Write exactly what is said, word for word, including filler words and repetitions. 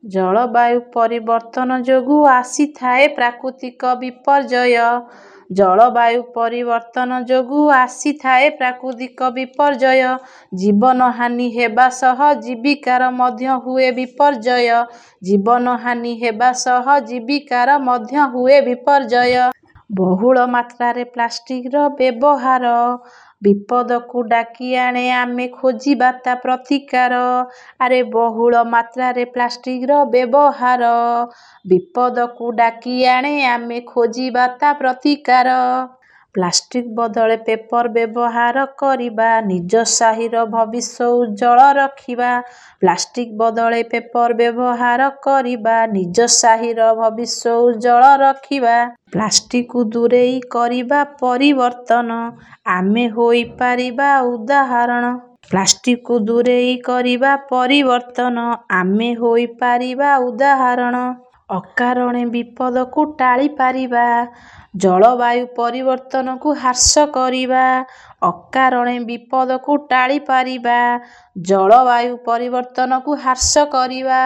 ଜଳବାୟୁ ପରିବର୍ତ୍ତନ ଯୋଗୁଁ ଆସିଥାଏ ପ୍ରାକୃତିକ ବିପର୍ଯ୍ୟୟ। ଜଳବାୟୁ ପରିବର୍ତ୍ତନ ଯୋଗୁଁ ଆସିଥାଏ ପ୍ରାକୃତିକ ବିପର୍ଯ୍ୟୟ। ଜୀବନ ହାନି ହେବା ସହ ଜୀବିକାର ମଧ୍ୟ ହୁଏ ବିପର୍ଯ୍ୟୟ। ଜୀବନ ହାନି ହେବା ସହ ଜୀବିକାର ମଧ୍ୟ ହୁଏ ବିପର୍ଯ୍ୟୟ। ବହୁଳ ମାତ୍ରାରେ ପ୍ଲାଷ୍ଟିକର ବ୍ୟବହାର ବିପଦକୁ ଡାକି ଆଣେ, ଆମେ ଖୋଜିବା ତା ପ୍ରତିକାର। ଆରେ ବହୁଳ ମାତ୍ରାରେ ପ୍ଲାଷ୍ଟିକର ବ୍ୟବହାର ବିପଦକୁ ଡାକି ଆଣେ, ଆମେ ଖୋଜିବା ତା ପ୍ରତିକାର। ପ୍ଲାଷ୍ଟିକ ବଦଳେ ପେପର ବ୍ୟବହାର କରିବା, ନିଜ ସାହିର ଭବିଷ୍ୟ ଉଜ୍ଜ୍ୱଳ ରଖିବା। ପ୍ଲାଷ୍ଟିକ ବଦଳେ ପେପର ବ୍ୟବହାର କରିବା, ନିଜ ସାହିର ଭବିଷ୍ୟ ଉଜ୍ଜ୍ୱଳ ରଖିବା। ପ୍ଲାଷ୍ଟିକକୁ ଦୂରେଇ କରିବା ପରିବର୍ତ୍ତନ, ଆମେ ହୋଇପାରିବା ଉଦାହରଣ। ପ୍ଲାଷ୍ଟିକକୁ ଦୂରେଇ କରିବା ପରିବର୍ତ୍ତନ, ଆମେ ହୋଇପାରିବା ଉଦାହରଣ। ଅକାରଣେ ବିପଦକୁ ଟାଳି ପାରିବା, ଜଳବାୟୁ ପରିବର୍ତ୍ତନକୁ ହ୍ରାସ କରିବା। ଅକାରଣେ ବିପଦକୁ ଟାଳି ପାରିବା, ଜଳବାୟୁ ପରିବର୍ତ୍ତନକୁ ହ୍ରାସ କରିବା।